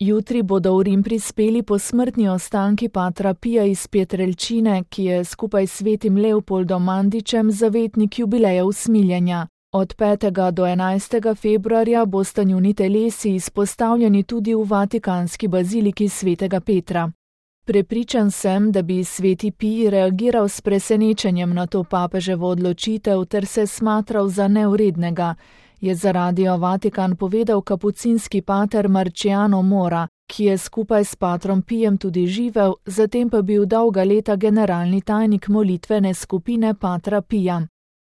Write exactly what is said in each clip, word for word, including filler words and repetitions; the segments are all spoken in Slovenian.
Jutri bodo v Rim prispeli posmrtni ostanki patra Pija iz Pietrelcine, ki je skupaj s svetim Leopoldom Mandičem zavetnik jubileja usmiljenja. Od petega do enajstega februarja bosta njuni telesi izpostavljeni tudi v vatikanski baziliki svetega Petra. Prepričan sem, da bi sveti Pij reagiral s presenečenjem na to papeževo odločitev ter se smatral za neurednega, je za Radio Vatikan povedal kapucinski pater Marciano Mora, ki je skupaj s patrom Pijem tudi živel, zatem pa bil dolga leta generalni tajnik molitvene skupine patra Pija.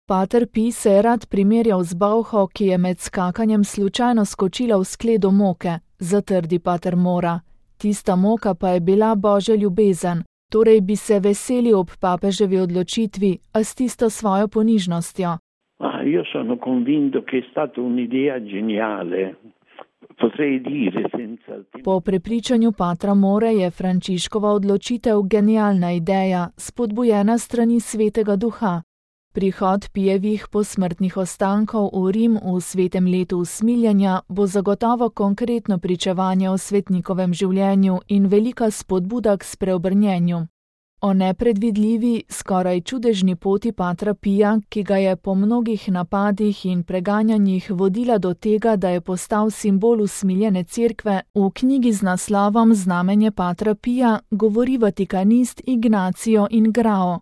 Pater Pij se je rad primerjal z bolho, ki je med skakanjem slučajno skočila v skledo moke, zatrdi pater Mora. Tista moka pa je bila Božja ljubezen, torej bi se veseli ob papeževi odločitvi, a s tisto svojo ponižnostjo. Ah, io sono convinto che è stata un'idea geniale. Potrei dire senza... Po prepričanju patra More je Frančiškova odločitev genialna ideja, spodbujena strani svetega duha. Prihod Pijevih posmrtnih ostankov v Rim v svetem letu usmiljenja bo zagotovo konkretno pričevanje o svetnikovem življenju in velika spodbuda k spreobrnjenju. O nepredvidljivi, skoraj čudežni poti patra Pija, ki ga je po mnogih napadih in preganjanjih vodila do tega, da je postal simbol usmiljene cerkve, v knjigi z naslovom Znamenje patra Pija govori vatikanist Ignacio Ingrao.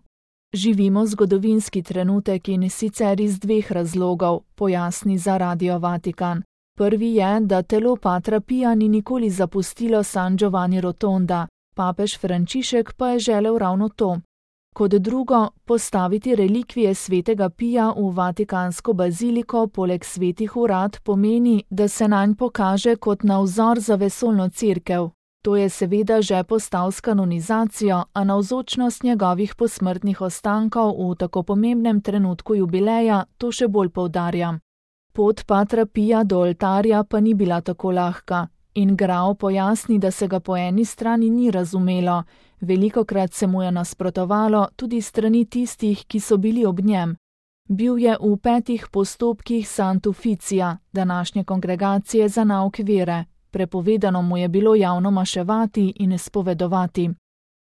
Živimo zgodovinski trenutek in sicer iz dveh razlogov, pojasni za Radio Vatikan. Prvi je, da telo patra Pija ni nikoli zapustilo San Giovanni Rotonda, papež Frančišek pa je želel ravno to. Kot drugo, postaviti relikvije svetega Pija v vatikansko baziliko poleg svetih urad pomeni, da se nanj pokaže kot na vzor za vesoljno cerkev. To je seveda že postal s kanonizacijo, a navzočnost njegovih posmrtnih ostankov v tako pomembnem trenutku jubileja to še bolj poudarja. Pot patra Pija do oltarja pa ni bila tako lahka. Ingrao pojasni, da se ga po eni strani ni razumelo, velikokrat se mu je nasprotovalo tudi strani tistih, ki so bili ob njem. Bil je v petih postopkih Sant'Ufficia, današnje kongregacije za nauk vere. Prepovedano mu je bilo javno maševati in spovedovati.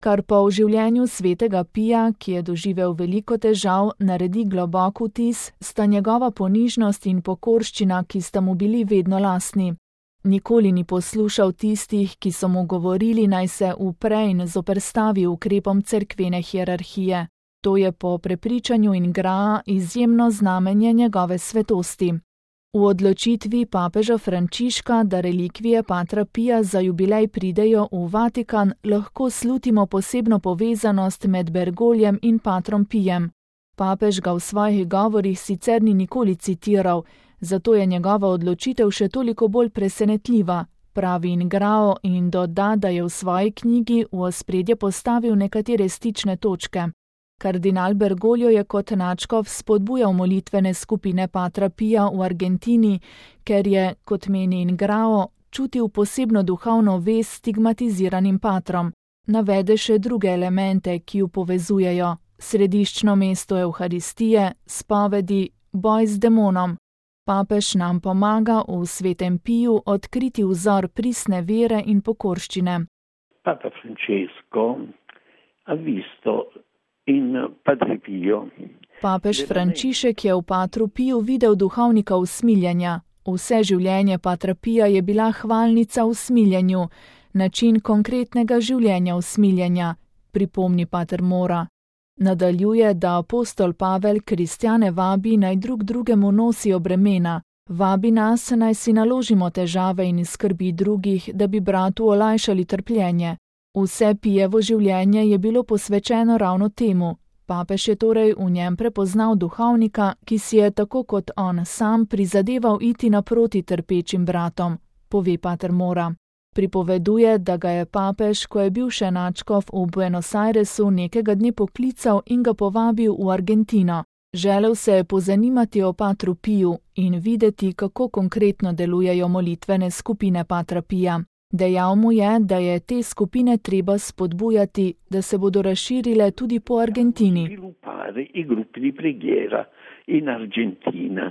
Kar pa v življenju svetega Pija, ki je doživel veliko težav, naredi globok vtis, sta njegova ponižnost in pokorščina, ki sta mu bili vedno lastni. Nikoli ni poslušal tistih, ki so mu govorili, naj se upre in zoperstavi ukrepom cerkvene hierarhije. To je po prepričanju Ingraa izjemno znamenje njegove svetosti. V odločitvi papeža Frančiška, da relikvije patra Pija za jubilej pridejo v Vatikan, lahko slutimo posebno povezanost med Bergoljem in patrom Pijem. Papež ga v svojih govorih sicer ni nikoli citiral, zato je njegova odločitev še toliko bolj presenetljiva, pravi Ingrao in doda, da je v svoji knjigi v ospredje postavil nekatere stične točke. Kardinal Bergoglio je kot nadškof spodbujal molitvene skupine patra Pija v Argentini, ker je, kot meni Ingrao, čutil posebno duhovno vez s stigmatiziranim patrom. Navede še druge elemente, ki ju povezujejo: središčno mesto Evharistije, spovedi, boj z demonom. Papež nam pomaga v svetem Piju odkriti vzor pristne vere in pokorščine. Papa Francesco ha visto in Padre Pio. Papež Frančišek je v patru Piju videl duhovnika usmiljenja. Vse življenje patra Pija je bila hvalnica usmiljenju, način konkretnega življenja usmiljenja, pripomni pater Mora. Nadaljuje, da apostol Pavel kristjane vabi, naj drug drugemu nosijo bremena. Vabi nas, naj si naložimo težave in skrbi drugih, da bi bratu olajšali trpljenje. Vse Pijevo življenje je bilo posvečeno ravno temu. Papež je torej v njem prepoznal duhovnika, ki si je tako kot on sam prizadeval iti naproti trpečim bratom, pove pater Mora. Pripoveduje, da ga je papež, ko je bil še nadškof v Buenos Airesu, nekega dne poklical in ga povabil v Argentino. Želel se je pozanimati o patru Piju in videti, kako konkretno delujejo molitvene skupine patra Pija. Dejal mu je, da je te skupine treba spodbujati, da se bodo razširile tudi po Argentini. In Argentina.